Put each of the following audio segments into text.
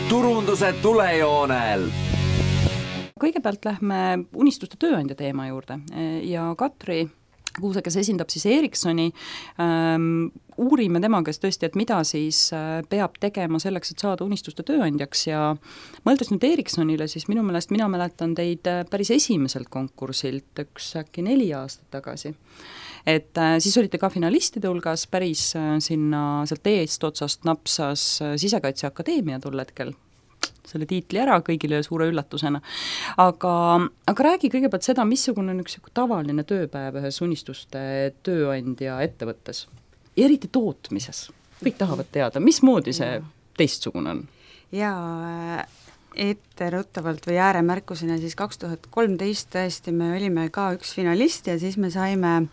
turunduse tulejoonel. Kõigepealt lähme unistuste tööandja teema juurde ja Katri Kuuse, kes esindab siis Ericssoni, uurime tema käest tõesti, et mida siis peab tegema selleks, et saada unistuste tööandjaks ja mõeldes nüüd Ericssonile, siis mina mäletan teid päris esimeselt konkursilt äkki 4 aastat tagasi. Et siis olite ka finalistide hulgas päris sealt eestotsast napsas Sisekaitseakadeemia tol hetkel selle tiitli ära kõigile suure üllatusena. Aga räägi kõigepealt seda, missugune on üks tavaline tööpäev ühes unistuste tööandja ettevõttes. Ja eriti tootmises. Kõik tahavad teada, mismoodi see teistsugune on? Ja etteruttavalt või ääremärkusena siis 2013 tõesti me olime ka üks finalist ja siis me saime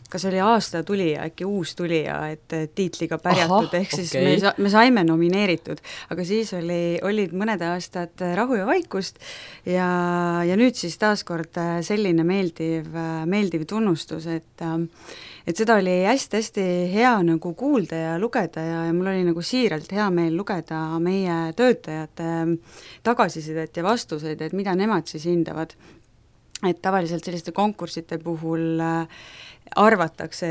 kas oli aasta tulija, äkki uus tulija, et tiitliga pärjatud, ehk siis me saime nomineeritud, aga siis olid mõned aastad rahu ja vaikust ja nüüd siis taaskord selline meeldiv tunnustus, et seda oli hästi hea nagu kuulda ja lugeda ja mul oli nagu siiralt hea meel lugeda meie töötajate tagasisidet ja vastuseid, et mida nemad siis hindavad. Et tavaliselt selliste konkursite puhul arvatakse,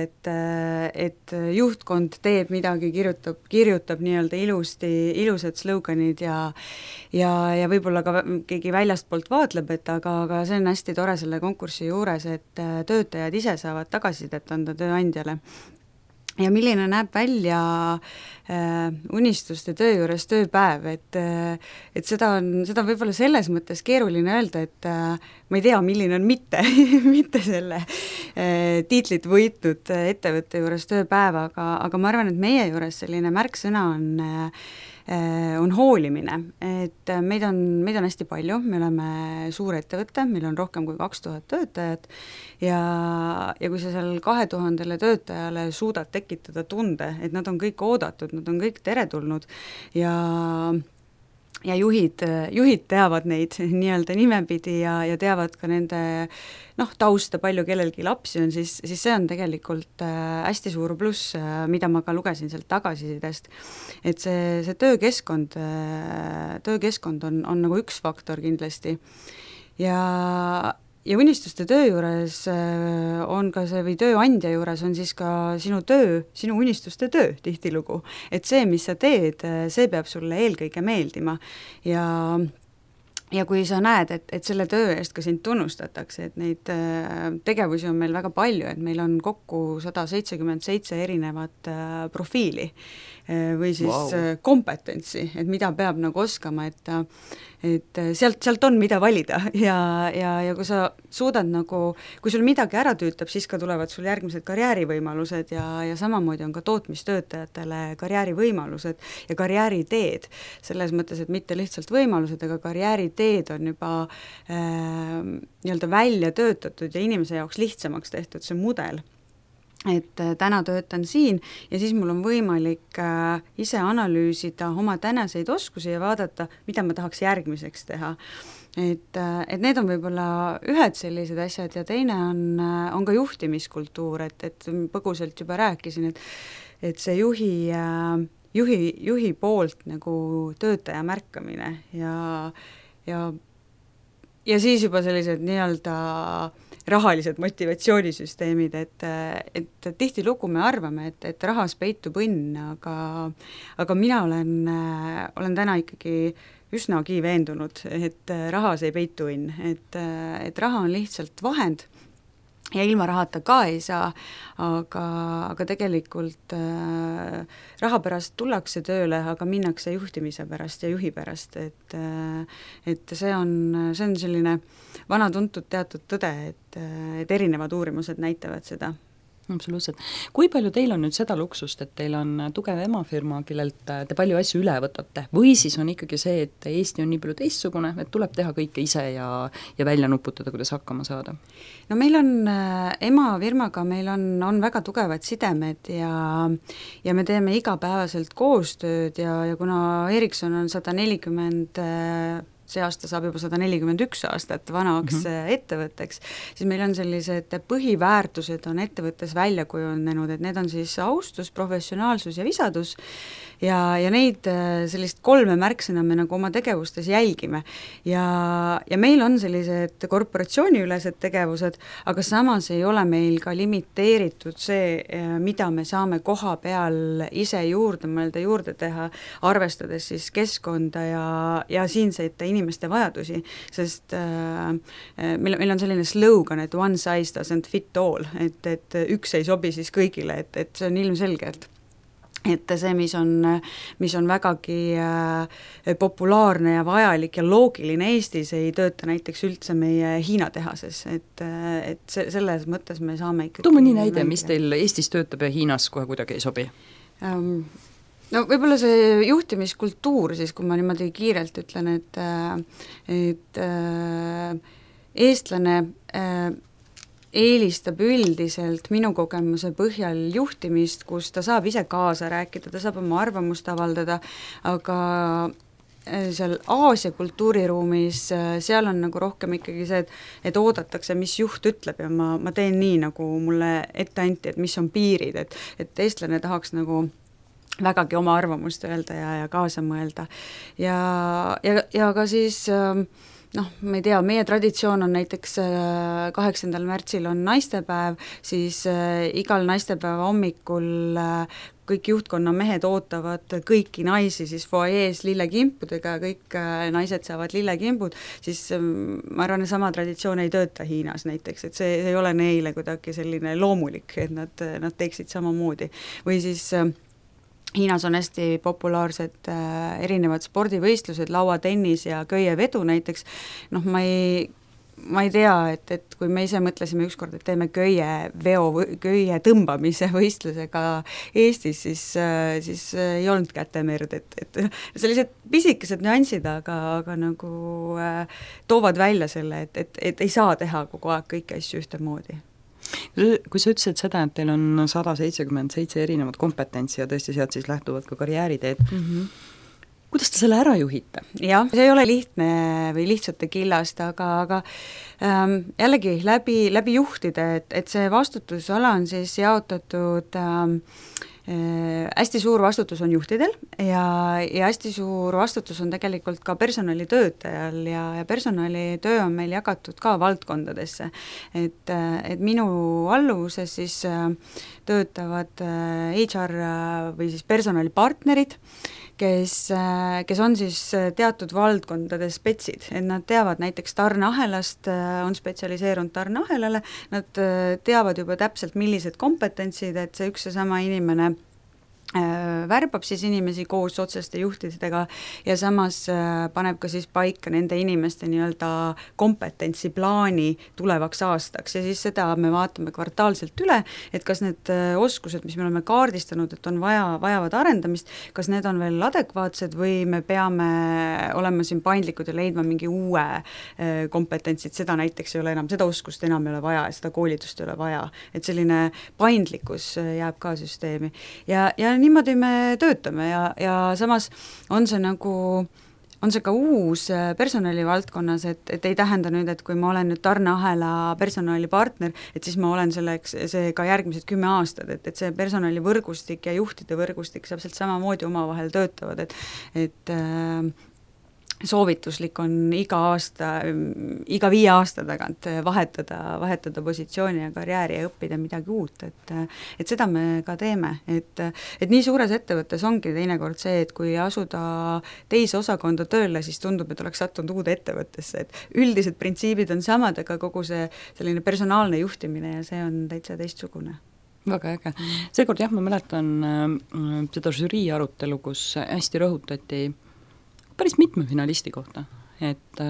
et juhtkond teeb midagi, kirjutab nii-öelda ilusad sloganid ja võib-olla ka keegi väljastpoolt vaatleb, et aga see on hästi tore selle konkursi juures, et töötajad ise saavad tagasisidet anda tööandjale. Ja milline näeb välja unistuste töö juures tööpäev, et seda on võib-olla selles mõttes keeruline öelda, et ma ei tea, milline on mitte selle tiitlit võitnud ettevõtte juures tööpäev, aga ma arvan, et meie juures selline märksõna on hoolimine, et meid on hästi palju, me oleme suur ettevõte, meil on rohkem kui 2000 töötajat ja kui sa seal 2000 töötajale suudad tekitada tunde, et nad on kõik oodatud, nad on kõik teretulnud ja juhid teavad neid nii-öelda nimepidi ja teavad ka nende tausta, palju kellelgi lapsi on, siis see on tegelikult hästi suur pluss, mida ma ka lugesin sealt tagasisidest, et see töökeskkond on nagu üks faktor kindlasti ja unistuste töö juures on ka see, või tööandja juures on siis ka sinu unistuste töö tihtilugu. Et see, mis sa teed, see peab sulle eelkõige meeldima ja kui sa näed, et selle töö eest ka sind tunnustatakse, et neid tegevusi on meil väga palju, et meil on kokku 177 erinevat profiili või siis kompetentsi, et mida peab nagu oskama, et sealt on mida valida ja kui sa suudad kui sul midagi ära tüütab, siis ka tulevad sul järgmised karjäärivõimalused ja samamoodi on ka tootmistöötajatele karjäärivõimalused ja karjääriteed, selles mõttes, et mitte lihtsalt võimalused, aga karjääriteed on juba nii-öelda välja töötatud ja inimese jaoks lihtsamaks tehtud see mudel. Et täna töötan siin ja siis mul on võimalik ise analüüsida oma tänaseid oskusi ja vaadata, mida ma tahaks järgmiseks teha. Et need on võib-olla ühed sellised asjad ja teine on ka juhtimiskultuur, et põgusalt juba rääkisin, et see juhi poolt nagu töötaja märkamine ja siis juba sellised nii-öelda rahalised motivatsioonisüsteemid, et tihtilugu me arvame, et rahas peitub õnn, aga mina olen täna ikkagi üsnagi veendunud, et rahas ei peitu õnn, et raha on lihtsalt vahend ja ilma rahata ka ei saa, aga tegelikult raha pärast tullakse tööle, aga minnakse juhtimise pärast ja juhi pärast, et see on selline vana tuntud teatud tõde, et erinevad uurimused näitavad seda. Absoluutselt. Kui palju teil on nüüd seda luksust, et teil on tugev emafirma, kellelt te palju asju üle võtate, või siis on ikkagi see, et Eesti on nii palju teistsugune, et tuleb teha kõike ise ja välja nuputada, kuidas hakkama saada? No meil on emafirmaga, meil on väga tugevad sidemed ja me teeme igapäevaselt koostööd ja kuna Ericsson on 140 see aasta saab juba 141 aastat vanaks ettevõtteks, siis meil on sellised põhiväärtused on ettevõttes välja kujunenud, et need on siis austus, professionaalsus ja visadus ja neid sellist 3 märksõna me nagu oma tegevustes jälgime. Ja meil on sellised korporatsiooniülesed tegevused, aga samas ei ole meil ka limiteeritud see, mida me saame koha peal ise juurde mõelda, juurde teha, arvestades siis keskkonda ja siinsete inimeste vajadusi, sest meil on selline slogan, et one size doesn't fit all, et üks ei sobi siis kõigile, et see on ilmselgelt. Et see, mis on vägagi populaarne ja vajalik ja loogiline Eestis, ei tööta näiteks üldse meie Hiina tehases, et selles mõttes me saame ikkagi... Too mõni näide, mis teil Eestis töötab ja Hiinas kohe kuidagi ei sobi? No võib-olla see juhtimiskultuur siis, kui ma niimoodi kiirelt ütlen, et eestlane eelistab üldiselt minu kogemuse põhjal juhtimist, kus ta saab ise kaasa rääkida, ta saab oma arvamust avaldada, aga seal Aasia kultuuriruumis, seal on nagu rohkem ikkagi see, et oodatakse, mis juht ütleb ja ma teen nii, nagu mulle ette anti, et mis on piirid, et eestlane tahaks nagu vägagi oma arvamust öelda ja kaasa mõelda. Ja ka siis ma ei tea, meie traditsioon on näiteks 8. märtsil on naistepäev, siis igal naistepäeva hommikul kõik juhtkonna mehed ootavad kõiki naisi siis foajees lillekimpudega, kõik naised saavad lillekimbud, siis ma arvan, sama traditsioon ei tööta Hiinas näiteks, et see ei ole neile kuidagi selline loomulik, et nad teeksid samamoodi. Või siis Hiinas on hästi populaarsed erinevad spordivõistlused, lauatennis ja köievedu näiteks, ma ei tea, et kui me ise mõtlesime ükskord, et teeme köie tõmbamise võistlusega Eestis, siis ei olnud kätemerd, et sellised pisikesed nüansid, aga nagu toovad välja selle, et ei saa teha kogu aeg kõiki asju ühtemoodi. Kui sa ütlesid seda, et teil on 177 erinevat kompetentsi ja tõesti sealt siis lähtuvad ka karjääriteed, kuidas te selle ära juhite? Jah, see ei ole lihtne või lihtsate killast, aga jällegi läbi juhtide, et see vastutusala on siis jaotatud hästi suur vastutus on juhtidel ja hästi suur vastutus on tegelikult ka personalitöötajal ja personalitöö on meil jagatud ka valdkondadesse. Et minu alluvuses siis töötavad HR või siis personalipartnerid, kes on siis teatud valdkondade spetsid, et nad teavad näiteks tarneahelast, on spetsialiseerunud tarneahelale, nad teavad juba täpselt, millised kompetentsid, et see üks ja sama inimene värbab siis inimesi koos otseste juhtidega ja samas paneb ka siis paika nende inimeste nii-öelda kompetentsiplaani tulevaks aastaks ja siis seda me vaatame kvartaalselt üle, et kas need oskused, mis me oleme kaardistanud, et on vajavad arendamist, kas need on veel adekvaatsed või me peame olema siin paindlikud ja leidma mingi uue kompetentsid, seda näiteks ei ole enam, seda oskust enam ei ole vaja ja seda koolitust ei ole vaja, et selline paindlikkus jääb ka süsteemi ja niimoodi me töötame ja samas on see ka uus personalivaldkonnas, et ei tähenda nüüd, et kui ma olen nüüd tarneahela personalipartner, et siis ma olen see ka järgmised 10 aastad, et see personalivõrgustik ja juhtide võrgustik saab sealt samamoodi omavahel töötavad, et soovituslik on iga 5 aasta tagant vahetada positsiooni ja karjääri ja õppida midagi uut, et seda me ka teeme, et nii suures ettevõttes ongi teinekord see, et kui asuda teise osakonda tööle, siis tundub, et oleks sattunud uude ettevõttesse, et üldised printsiibid on samad, aga kogu see selline personaalne juhtimine ja see on täitsa teistsugune. Väga äge. Seekord jah, ma mäletan seda žürii arutelu, kus hästi rõhutati päris mitme finalisti kohta, et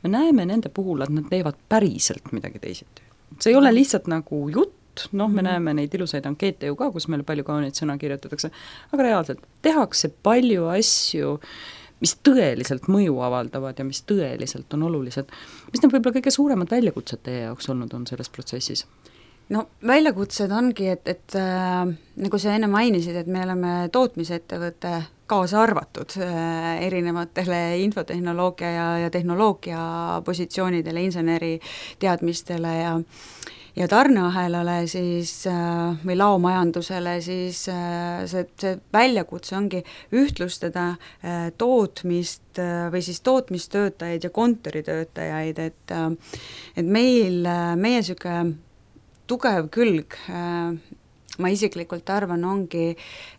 me näeme nende puhul, et nad teevad päriselt midagi teisiti. See ei ole lihtsalt nagu jutt, me näeme neid ilusaid ankeete ju ka, kus meile palju kauneid sõna kirjutatakse, aga reaalselt tehakse palju asju, mis tõeliselt mõju avaldavad ja mis tõeliselt on olulised. Mis need võib-olla kõige suuremad väljakutsed teie jaoks olnud on selles protsessis? No väljakutsed ongi, et nagu sa enne mainisid, et me oleme tootmisettevõte kaasa arvatud erinevatele infotehnoloogia ja tehnoloogia positsioonidele, inseneri teadmistele ja tarneahelale siis või laomajandusele siis see väljakutse ongi ühtlustada tootmist või siis tootmistöötajaid ja kontoritöötajaid, et meie niisugune tugev külg, ma isiklikult arvan, ongi,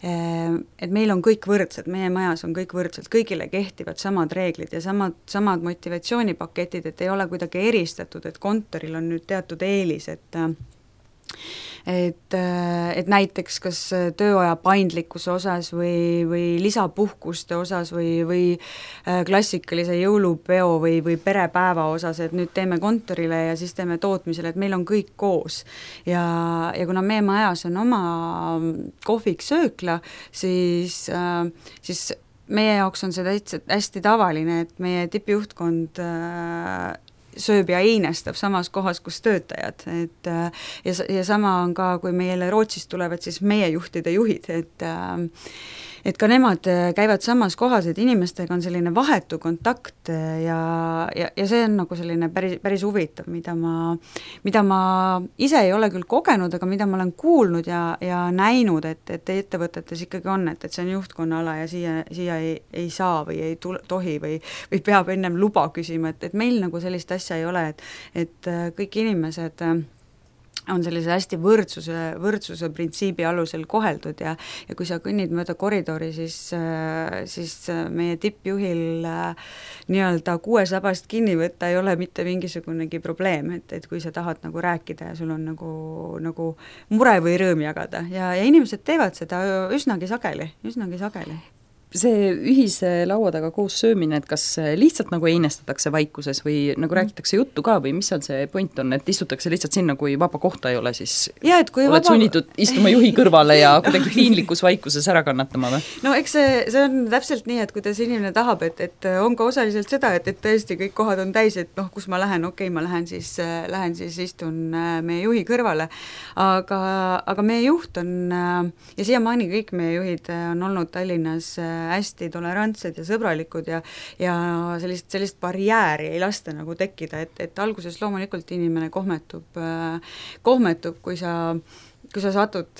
et meil on kõik võrdsed, meie majas on kõik võrdsed, kõigile kehtivad samad reeglid ja samad motivatsioonipaketid, et ei ole kuidagi eristatud, et kontoril on nüüd teatud eelis, et näiteks kas tööaja paindlikkuse osas või lisapuhkuste osas või klassikalise jõulupeo või perepäeva osas, et nüüd teeme kontorile ja siis teeme tootmisele, et meil on kõik koos. Ja kuna meie majas on oma kohvik-söökla, siis meie jaoks on see hästi tavaline, et meie tippjuhtkond sööb ja einestab samas kohas, kus töötajad, et ja sama on ka, kui meile Rootsist tulevad, siis meie juhtide juhid, et ka nemad käivad samas kohas, et inimestega on selline vahetu kontakt ja see on nagu selline päris huvitav, mida ma ise ei ole küll kogenud, aga mida ma olen kuulnud ja näinud, et ettevõtetes ikkagi on, et see on juhtkonna ala ja siia ei saa või ei tohi või peab ennem luba küsima, et meil nagu sellist asja ei ole, et kõik inimesed on sellise hästi võrdsuse printsiibi alusel koheldud ja kui sa kõnnid mööda koridori, siis meie tippjuhil nii-öelda kuuesabast kinni võtta ei ole mitte mingisugunegi probleem, et kui sa tahad nagu rääkida ja sul on nagu mure või rõõm jagada ja inimesed teevad seda üsnagi sageli. See ühise laua taga koos söömine, et kas lihtsalt nagu einestatakse vaikuses või nagu räägitakse juttu ka või mis seal see point on, et istutakse lihtsalt sinna, kui vaba kohta ei ole, siis ja, oled sunnitud istuma juhi kõrvale ja kuidagi piinlikus vaikuses ära kannatama või? No eks see on täpselt nii, et kuidas inimene tahab, et on ka osaliselt seda, et tõesti kõik kohad on täis, et kus ma lähen, ma lähen siis istun meie juhi kõrvale, aga meie juht on ja siiamaani kõik meie juhid on olnud Tallinnas hästi tolerantsed ja sõbralikud ja sellist barjääri ei lasta nagu tekkida, et alguses loomulikult inimene kohmetub, kui sa satud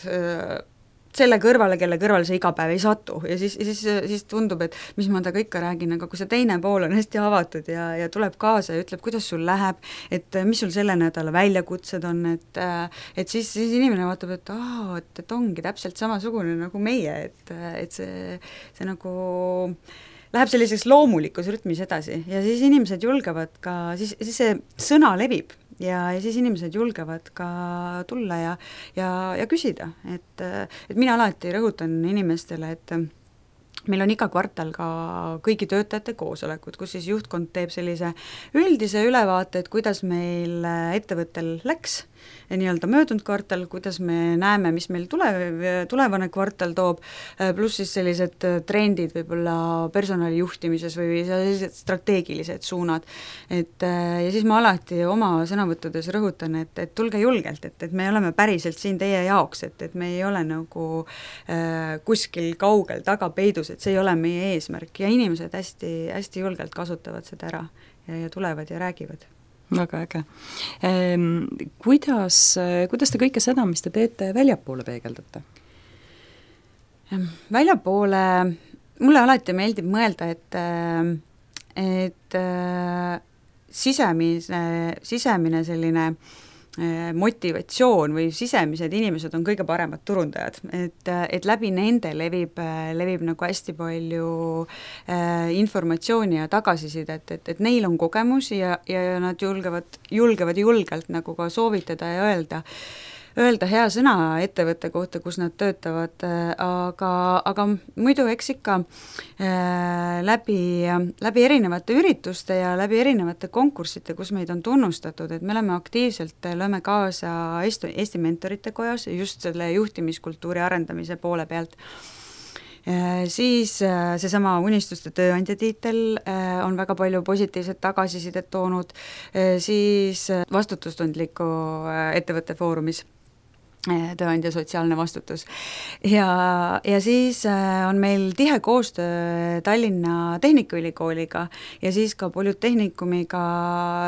selle kõrvale, kelle kõrval sa iga päev ei satu ja siis tundub, et mis ma temaga ikka räägin, aga kui see teine pool on hästi avatud ja tuleb kaasa ja ütleb, kuidas sul läheb, et mis sul selle nädala väljakutsed on, et siis inimene vaatab, et ongi täpselt samasugune nagu meie, et see nagu läheb sellises loomulikus rütmis edasi ja siis inimesed julgevad ka, siis see sõna levib ja siis inimesed julgevad ka tulla ja küsida, et mina alati rõhutan inimestele, et meil on iga kvartal ka kõigi töötajate koosolekud, kus siis juhtkond teeb sellise üldise ülevaate, et kuidas meil ettevõttel läks, nii-öelda möödunud kvartal, kuidas me näeme, mis meil tulevane kvartal toob, pluss siis sellised trendid võib-olla personali juhtimises või sellised strateegilised suunad. Ja siis ma alati oma sõnavõttudes rõhutan, et tulge julgelt, et me oleme päriselt siin teie jaoks, et me ei ole nagu kuskil kaugel taga peidus, et see ei ole meie eesmärk ja inimesed hästi, hästi julgelt kasutavad seda ära ja tulevad ja räägivad. Väga äge. Kuidas te kõike seda, mis te teete, väljapoole peegeldate? Väljapoole, mulle alati meeldib mõelda, et sisemine selline motivatsioon või sisemised inimesed on kõige paremad turundajad, et läbi nende levib nagu hästi palju informatsiooni ja tagasisidet, et neil on kogemusi ja nad julgelt nagu ka soovitada ja öelda hea sõna ettevõtte kohta, kus nad töötavad, aga muidu eks ikka läbi erinevate ürituste ja läbi erinevate konkurssite, kus meid on tunnustatud, et me oleme aktiivselt, lööme kaasa Eesti Mentorite Kojas just selle juhtimiskultuuri arendamise poole pealt. Siis seesama Unistuste tööandja tiitel on väga palju positiivset tagasisidet toonud, siis vastutustundliku ettevõtte foorumis tööandja sotsiaalne vastutus. Ja siis on meil tihe koostöö Tallinna Tehnikaülikooliga ja siis ka Polütehnikumiga,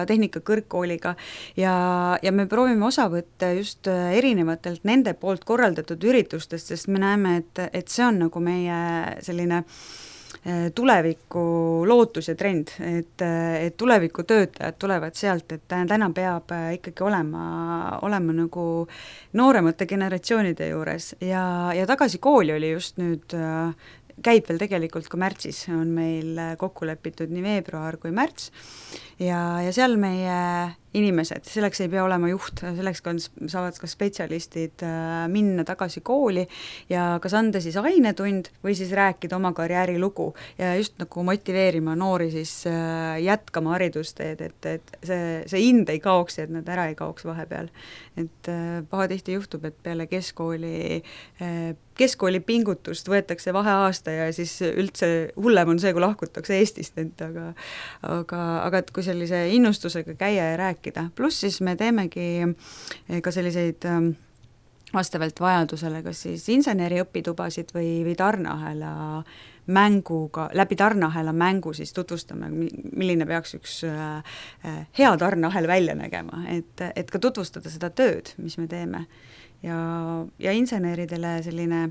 Tehnikakõrgkooliga ja me proovime osa võtta just erinevatelt nende poolt korraldatud üritustest, sest me näeme, et see on nagu meie selline tuleviku lootus ja trend, et tuleviku töötajad tulevad sealt, et täna peab ikkagi olema nagu nooremate generatsioonide juures ja tagasi kooli oli just nüüd, käib veel tegelikult ka märtsis, on meil kokku lepitud nii veebruar kui märts ja seal meie inimesed, selleks ei pea olema juht, selleks saavad ka spetsialistid minna tagasi kooli ja kas anda siis ainetund või siis rääkida oma karjäärilugu ja just nagu motiveerima noori siis jätkama haridusteed, et see ind ei kaoks ja et nad ära ei kaoks vahepeal. Et pahatihti juhtub, et peale keskkooli pingutust võetakse vaheaasta ja siis üldse hullem on see, kui lahkutakse Eestist, et aga et kui sellise innustusega käia ja rääkida, pluss siis me teemegi ka selliseid vastavalt vajadusele, kas siis inseneriõpitubasid või tarneahela mänguga, läbi tarneahela mängu siis tutvustame, milline peaks üks hea tarneahel välja nägema, et ka tutvustada seda tööd, mis me teeme. Ja inseneridele selline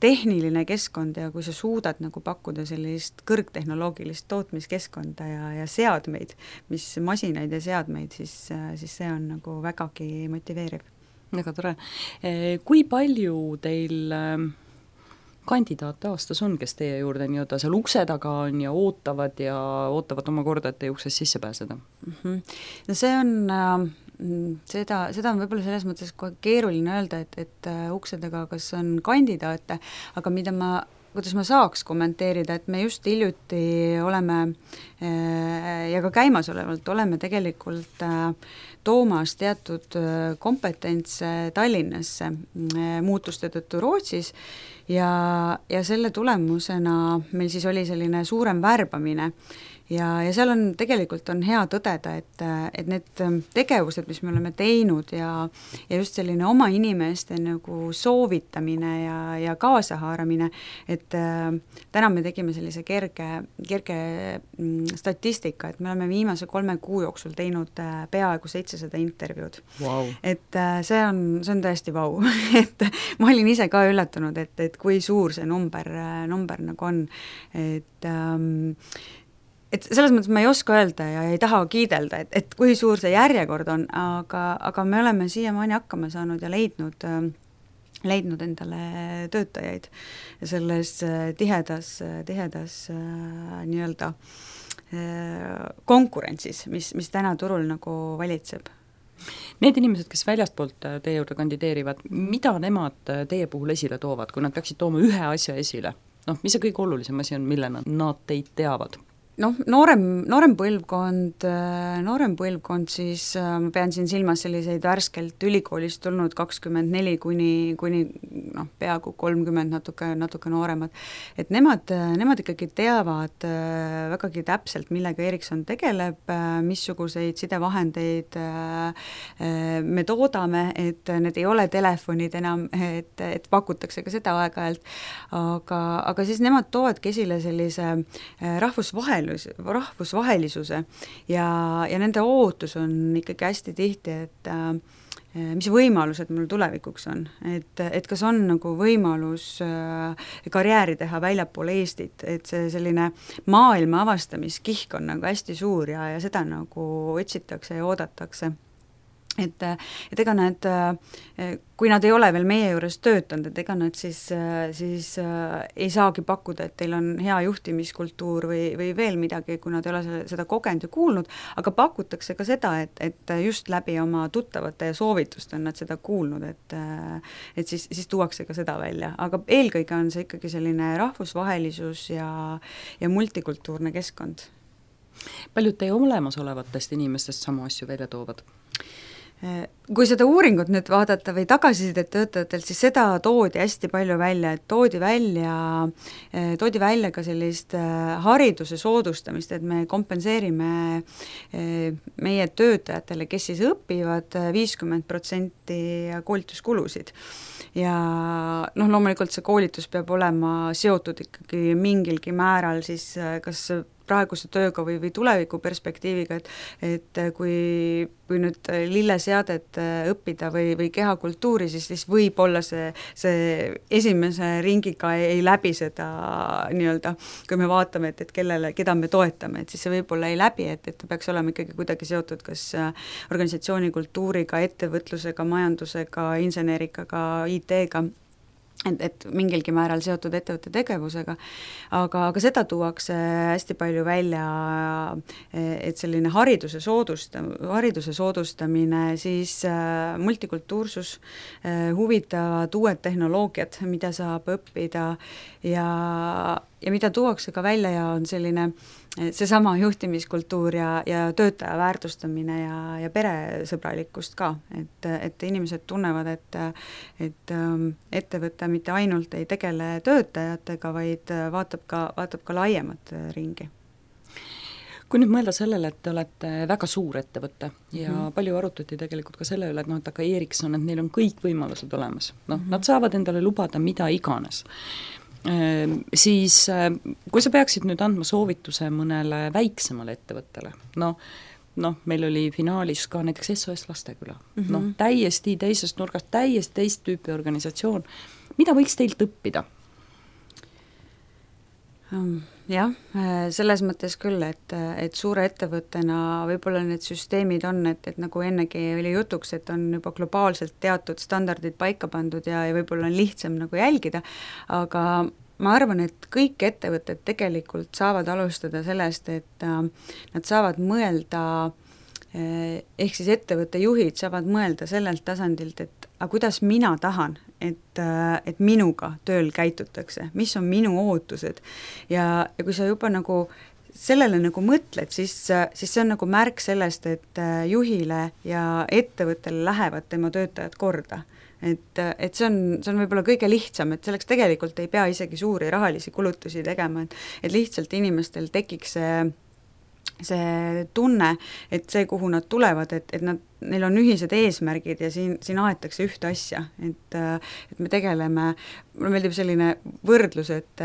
tehniline keskkond ja kui sa suudad nagu pakkuda sellist kõrgtehnoloogilist tootmiskeskkonda ja seadmeid, mis masinaid ja seadmeid, siis see on nagu vägagi motiveeriv. Väga tore. Kui palju teil kandidaate aastas on, kes teie juurde nii-öelda seal ukse taga on ja ootavad oma korda, et teie uksest sisse pääseda? No see on seda on võib-olla selles mõttes kohe keeruline öelda, et uksedega kas on kandidaate, aga kuidas ma saaks kommenteerida, et me just hiljuti oleme ja ka käimasolevalt oleme tegelikult toomas teatud kompetentse Tallinnasse muutuste tõttu Rootsis ja selle tulemusena meil siis oli selline suurem värbamine ja seal on tegelikult on hea tõdeda, et need tegevused, mis me oleme teinud ja just selline oma inimeste nagu soovitamine ja kaasahaaramine, et täna me tegime sellise kerge statistika, et me oleme viimase 3 kuu jooksul teinud peaaegu 700 intervjuud. Wow. Et see on tõesti vau. Et ma olin ise ka üllatunud, et kui suur see number nagu on, et selles mõttes ma ei oska öelda ja ei taha kiidelda, et kui suur see järjekord on, aga me oleme siiamaani hakkama saanud ja leidnud endale töötajaid selles tihedas nii-öelda konkurentsis, mis täna turul nagu valitseb. Need inimesed, kes väljastpoolt teie juurde kandideerivad, mida nemad teie puhul esile toovad, kui nad peaksid tooma ühe asja esile? Mis see kõige olulisem asi on, millena nad teid teavad? Noorem põlvkond siis, ma pean siin silmas selliseid värskelt ülikoolist tulnud 24 kuni peaaegu 30 natuke nooremad, et nemad ikkagi teavad vägagi täpselt, millega Ericsson tegeleb, missuguseid sidevahendeid me toodame, et need ei ole telefonid enam, et pakutakse ka seda aeg-ajalt, aga siis nemad toovadki esile sellise rahvusvahelisuse ja nende ootus on ikkagi hästi tihti, et mis võimalused mul tulevikuks on, et kas on nagu võimalus karjääri teha väljapool Eestit, et see selline maailma avastamiskihk on nagu hästi suur ja seda nagu otsitakse ja oodatakse. Et ega nad, kui nad ei ole veel meie juures töötanud, et ega nad siis ei saagi pakkuda, et teil on hea juhtimiskultuur või veel midagi, kui nad ei ole seda kogenud ja kuulnud, aga pakutakse ka seda, et just läbi oma tuttavate ja soovitust on nad seda kuulnud, et siis tuuakse ka seda välja, aga eelkõige on see ikkagi selline rahvusvahelisus ja multikultuurne keskkond. Paljud teie olemasolevatest inimestest samu asju välja toovad? Kui seda uuringut nüüd vaadata või tagasisidet töötajatelt, siis seda toodi hästi palju välja, et toodi välja ka sellist hariduse soodustamist, et me kompenseerime meie töötajatele, kes siis õpivad 50% koolituskulusid. Ja loomulikult see koolitus peab olema seotud ikkagi mingilgi määral siis kas praeguse tööga või tuleviku perspektiiviga, et kui nüüd lilleseadet õppida või kehakultuuri, siis võib-olla see esimese ringiga ei läbi seda nii-öelda, kui me vaatame, et keda me toetame, et siis see võib-olla ei läbi, et ta peaks olema ikkagi kuidagi seotud kas organisatsiooni kultuuriga, ettevõtlusega, majandusega, insenerikaga, IT-ga, et mingilgi määral seotud ettevõtte tegevusega, aga seda tuuakse hästi palju välja, et selline hariduse soodustamine, siis multikultuursus, huvitavad uued tehnoloogiad, mida saab õppida ja mida tuuakse ka välja ja on selline seesama juhtimiskultuur ja töötaja väärtustamine ja peresõbralikkust ka, et inimesed tunnevad, et ettevõte mitte ainult ei tegele töötajatega, vaid vaatab ka laiemat ringi. Kui nüüd mõelda sellele, et te olete väga suur ettevõte ja palju arutati tegelikult ka selle üle, et aga Ericsson, et neil on kõik võimalused olemas, nad saavad endale lubada mida iganes. Siis kui sa peaksid nüüd andma soovituse mõnele väiksemale ettevõttele, meil oli finaalis ka näiteks SOS Lasteküla, täiesti teisest nurgast, täiesti teist tüüpi organisatsioon, mida võiks teilt õppida? Jah, selles mõttes küll, et suure ettevõttena võib-olla need süsteemid on, et nagu ennegi oli jutuks, et on juba globaalselt teatud standardid paika pandud ja võib-olla on lihtsam nagu jälgida, aga ma arvan, et kõik ettevõtted tegelikult saavad alustada sellest, et nad saavad mõelda, ehk siis ettevõtte juhid saavad mõelda sellelt tasandilt, et aga kuidas mina tahan, et minuga tööl käitutakse, mis on minu ootused ja kui sa juba nagu sellele nagu mõtled, siis see on nagu märk sellest, et juhile ja ettevõttele lähevad tema töötajad korda. Et see on võib-olla kõige lihtsam, et selleks tegelikult ei pea isegi suuri rahalisi kulutusi tegema, et lihtsalt inimestel tekiks see tunne, et see, kuhu nad tulevad, et neil on ühised eesmärgid ja siin aetakse ühte asja, et me tegeleme, mulle meeldib selline võrdlus, et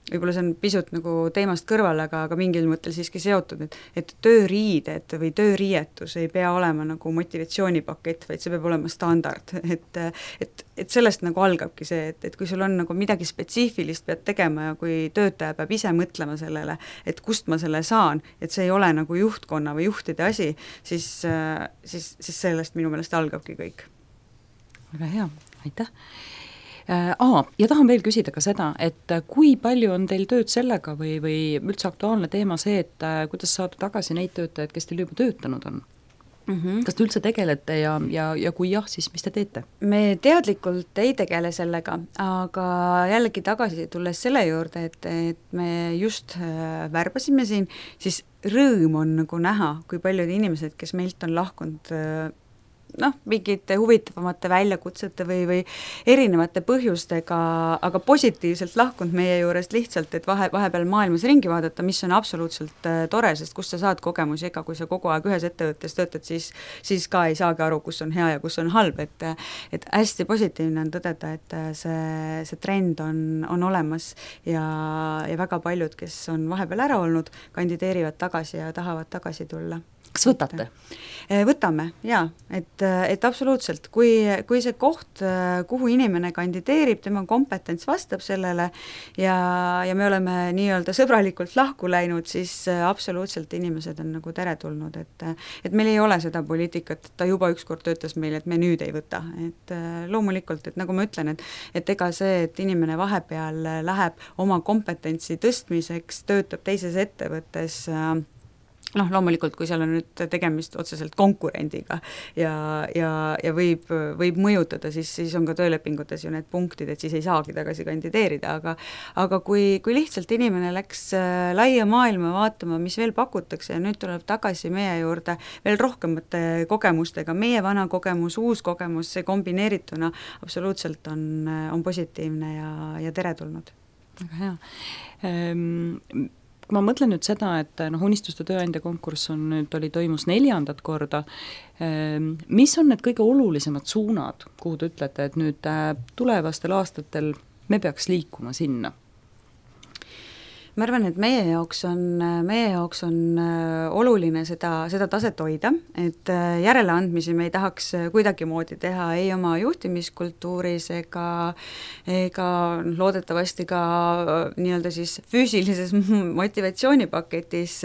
võib-olla see on pisut nagu teemast kõrval, aga mingil mõttel siiski seotud, et tööriided või tööriietus ei pea olema nagu motivatsioonipakett, vaid see peab olema standard, et sellest nagu algabki see, et kui sul on nagu midagi spetsiifilist pead tegema ja kui töötaja peab ise mõtlema sellele, et kust ma selle saan, et see ei ole nagu juhtkonna või juhtide asi, siis sellest minu meelest algabki kõik. Väga hea, aitäh! Ja tahan veel küsida ka seda, et kui palju on teil tööd sellega või üldse aktuaalne teema see, et kuidas saada tagasi neid töötajaid, kes teil juba töötanud on? Kas te üldse tegelete ja kui jah, siis mis te teete? Me teadlikult ei tegele sellega, aga jällegi tagasi tulles selle juurde, et me just värbasime siin, siis rõõm on nagu näha, kui paljud inimesed, kes meilt on lahkunud mingite huvitavamate väljakutsete või erinevate põhjustega, aga positiivselt lahkunud meie juurest lihtsalt, et vahepeal maailmas ringi vaadata, mis on absoluutselt tore, sest kust sa saad kogemusi, ega kui sa kogu aeg ühes ettevõttes töötad, siis ka ei saagi aru, kus on hea ja kus on halb, et hästi positiivne on tõdeda, et see trend on olemas ja väga paljud, kes on vahepeal ära olnud, kandideerivad tagasi ja tahavad tagasi tulla. Kas võtate? Võtame, jaa, et absoluutselt, kui see koht, kuhu inimene kandideerib, tema kompetents vastab sellele ja me oleme nii-öelda sõbralikult lahku läinud, siis absoluutselt inimesed on nagu teretulnud, et meil ei ole seda poliitikat, et ta juba ükskord töötas meil, et me nüüd ei võta, et loomulikult, et nagu ma ütlen, et ega see, et inimene vahepeal läheb oma kompetentsi tõstmiseks, töötab teises ettevõttes noh, loomulikult, kui seal on nüüd tegemist otseselt konkurendiga ja võib mõjutada, siis on ka töölepingutes ju need punktid, et siis ei saagi tagasi kandideerida, aga kui lihtsalt inimene läks laia maailma vaatama, mis veel pakutakse ja nüüd tuleb tagasi meie juurde veel rohkemate kogemustega, meie vana kogemus, uus kogemus, see kombineerituna absoluutselt on positiivne ja teretulnud. Väga hea. Kui ma mõtlen nüüd seda, et unistuste tööandja konkurss toimus 4. korda, mis on need kõige olulisemad suunad, kuhu te ütlete, et nüüd tulevastel aastatel me peaks liikuma sinna? Ma arvan, et meie jaoks on oluline seda taset hoida, et järeleandmisi me ei tahaks kuidagimoodi teha ei oma juhtimiskultuuris ega loodetavasti ka nii-öelda siis füüsilises motivatsioonipaketis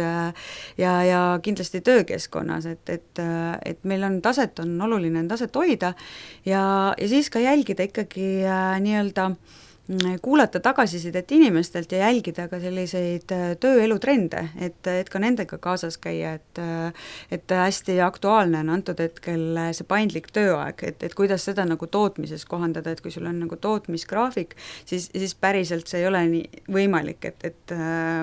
ja kindlasti töökeskkonnas, et meil on oluline taset hoida ja siis ka jälgida ikkagi nii-öelda kuulata tagasisidet inimestelt ja jälgida ka selliseid tööelutrende, et ka nendega kaasas käia, et hästi aktuaalne on antud hetkel see paindlik tööaeg, et kuidas seda nagu tootmises kohandada, et kui sul on nagu tootmisgraafik, siis päriselt see ei ole nii võimalik, et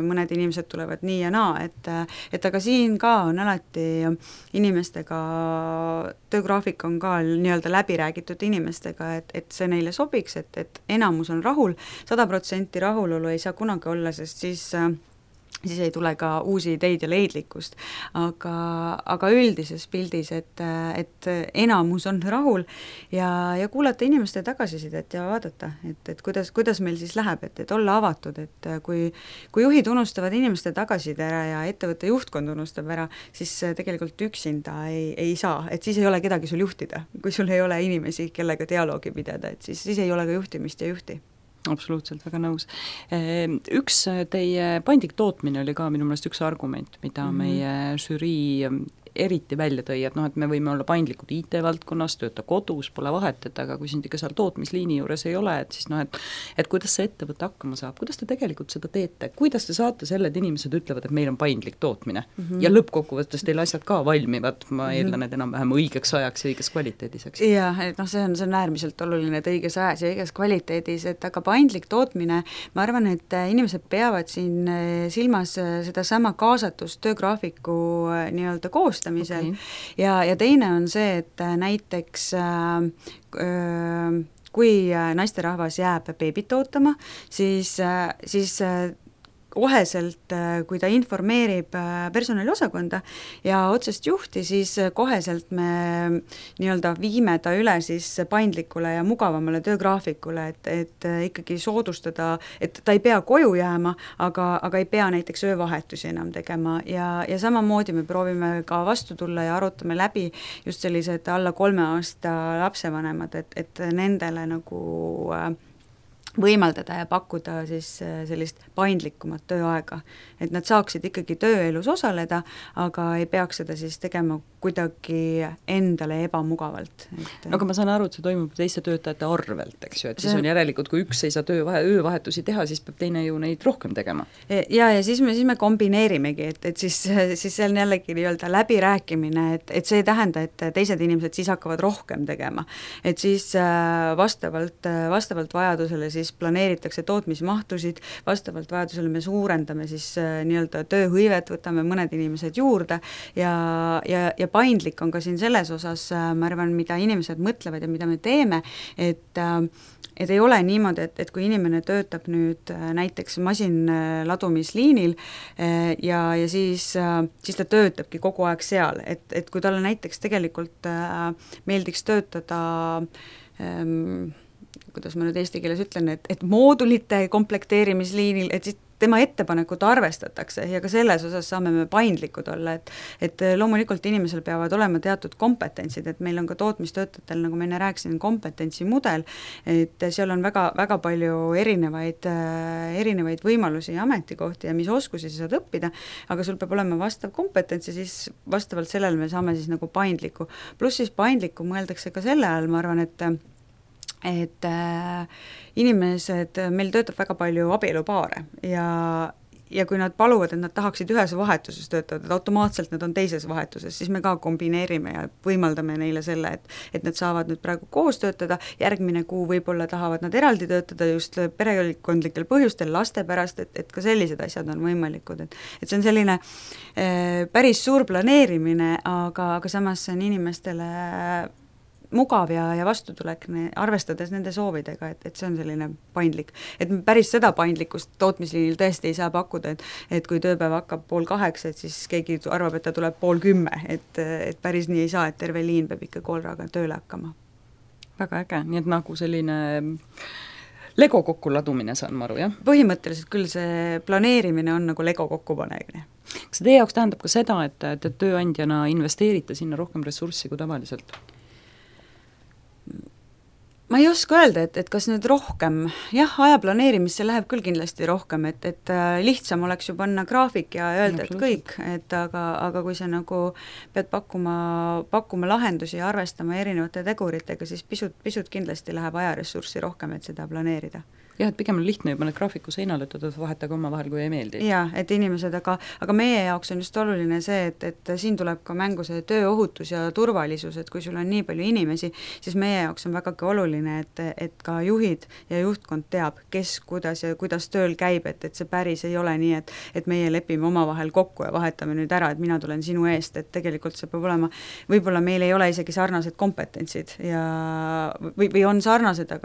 mõned inimesed tulevad nii ja naa, et aga siin ka on alati inimestega, töögraafik on ka nii-öelda läbi räägitud inimestega, et see neile sobiks, et enamus on rahul, 100% rahulolu ei saa kunagi olla, sest siis ei tule ka uusi ideid ja leidlikkust, aga üldises pildis, et enamus on rahul ja kuulata inimeste tagasisidet ja vaadata, et kuidas meil siis läheb, et olla avatud, et kui juhid unustavad inimeste tagasiside ära ja ettevõtte juhtkond unustab ära, siis tegelikult üksinda ei saa, et siis ei ole kedagi sul juhtida, kui sul ei ole inimesi, kellega dialoogi pidada, et siis ei ole ka juhtimist ja juhti. Absoluutselt, väga nõus. Üks teie paindlik tootmine oli ka minu meelest üks argument, mida meie žürii eriti välja tõi, et et me võime olla paindlikud IT-valdkonnas, tööta kodus, pole vahet, et aga kui sind ikka seal tootmisliini juures ei ole, et siis et kuidas see ettevõte hakkama saab, kuidas te tegelikult seda teete, kuidas te saate selle, et inimesed ütlevad, et meil on paindlik tootmine ja lõppkokkuvõttes teil asjad ka valmivad, ma eeldan, et enam-vähem õigeks ajaks ja õiges kvaliteedis, eks? Jah, et see on äärmiselt oluline, et õiges ajas ja õiges kvaliteedis, et aga paindlik tootmine, ma arvan, et inimesed peavad siin silmas sedasama kaasatust töögraafiku nii-öelda koostamisel. Okay. Ja teine on see, et näiteks kui naisterahvas jääb beebit ootama, siis koheselt, kui ta informeerib personaliosakonda ja otsest juhti, siis koheselt me nii-öelda viime ta üle siis paindlikule ja mugavamale töögraafikule, et ikkagi soodustada, et ta ei pea koju jääma, aga ei pea näiteks öövahetusi enam tegema ja samamoodi me proovime ka vastu tulla ja arutame läbi just sellised alla 3 aasta lapsevanemad, et nendele nagu võimaldada ja pakkuda siis sellist paindlikumat tööaega, et nad saaksid ikkagi tööelus osaleda, aga ei peaks seda siis tegema kuidagi endale ebamugavalt. Aga ma saan aru, et see toimub teiste töötajate arvelt, eks ju, et siis on järelikult, kui üks ei saa öövahetusi teha, siis peab teine ju neid rohkem tegema. Ja siis me kombineerimegi, et siis see on jällegi nii-öelda läbirääkimine, et see ei tähenda, et teised inimesed siis hakkavad rohkem tegema, et siis vastavalt vajadusele siis planeeritakse tootmismahtusid, vastavalt vajadusele me suurendame siis nii-öelda tööhõivet, võtame mõned inimesed juurde ja paindlik on ka siin selles osas, ma arvan, mida inimesed mõtlevad ja mida me teeme, et ei ole niimoodi, et kui inimene töötab nüüd näiteks masinladumisliinil ja siis ta töötabki kogu aeg seal, et kui talle näiteks tegelikult meeldiks töötada kuidas ma nüüd eesti keeles ütlen, et moodulite komplekteerimisliinil, et siis tema ettepanekut arvestatakse ja ka selles osas saame me paindlikud olla, et loomulikult inimesel peavad olema teatud kompetentsid, et meil on ka tootmistöötajatel, nagu ma enne rääkisin, kompetentsimudel, et seal on väga, väga palju erinevaid võimalusi ja ametikohti ja mis oskusi sa saad õppida, aga sul peab olema vastav kompetents ja siis vastavalt sellele me saame siis nagu paindliku. Pluss siis paindliku mõeldakse ka selle all, ma arvan, et inimesed, meil töötab väga palju abielupaare ja ja kui nad paluvad, et nad tahaksid ühes vahetuses töötada, et automaatselt nad on teises vahetuses, siis me ka kombineerime ja võimaldame neile selle, et nad saavad nüüd praegu koos töötada, järgmine kuu võib-olla tahavad nad eraldi töötada just perekondlikel põhjustel, laste pärast, et ka sellised asjad on võimalikud, et see on selline päris suur planeerimine, aga samas see on inimestele mugav ja vastutulek, arvestades nende soovidega, et see on selline paindlik. Et päris seda paindlikkust tootmisliinil tõesti ei saa pakkuda, et kui tööpäev hakkab 7:30, et siis keegi arvab, et ta tuleb 9:30, et päris nii ei saa, et terve liin peab ikka korraga tööle hakkama. Väga äge, nii et nagu selline Lego kokkuladumine, saan ma aru, jah? Põhimõtteliselt küll see planeerimine on nagu Lego kokkupanemine. Kas see teie jaoks tähendab ka seda, et tööandjana investeerite sinna rohkem ressurssi kui tavaliselt? Ma ei oska öelda, et kas nüüd rohkem, jah, aja planeerimisse läheb küll kindlasti rohkem, et lihtsam oleks ju panna graafik ja öelda, et kõik, aga kui sa nagu pead pakkuma lahendusi ja arvestama erinevate teguritega, siis pisut kindlasti läheb ajaressurssi rohkem, et seda planeerida. Jah, et pigem on lihtne juba need graafiku seinale, et vahetage omavahel, kui ei meeldi. Jaa, et inimesed, aga meie jaoks on just oluline see, et siin tuleb ka mängu see tööohutus ja turvalisus, et kui sul on nii palju inimesi, siis meie jaoks on vägagi oluline, et ka juhid ja juhtkond teab, kes, kuidas tööl käib, et see päris ei ole nii, et meie lepime omavahel kokku ja vahetame nüüd ära, et mina tulen sinu eest, et tegelikult see peab olema, võib-olla meil ei ole isegi sarnased kompetentsid või on sarnased,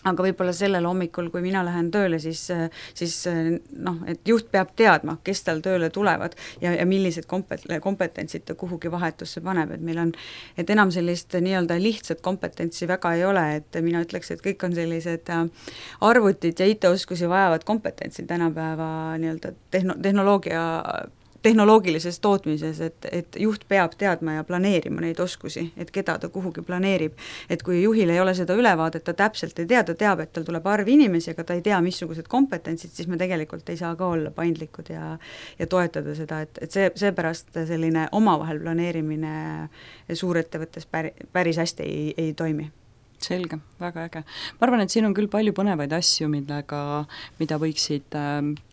aga võib-olla sellel hommikul, kui mina lähen tööle, siis et juht peab teadma, kes tal tööle tulevad ja millised kompetentsid ta kuhugi vahetusse paneb, et meil on, et enam sellist nii-öelda lihtsat kompetentsi väga ei ole, et mina ütleks, et kõik on sellised arvutid ja IT-oskusi vajavad kompetentsid tänapäeva nii-öelda tehnoloogilises tootmises, et juht peab teadma ja planeerima neid oskusi, et keda ta kuhugi planeerib. Et kui juhil ei ole seda ülevaadet, ta täpselt ei tea, ta teab, et tal tuleb arv inimesi, aga ta ei tea, missugused kompetentsid, siis me tegelikult ei saa ka olla paindlikud ja toetada seda, et seepärast selline omavahel planeerimine suurettevõttes päris hästi ei toimi. Selge, väga äge. Ma arvan, et siin on küll palju põnevaid asju, mida võiksid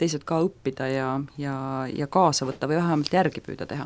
teised ka õppida ja kaasa võtta või vähemalt järgi püüda teha.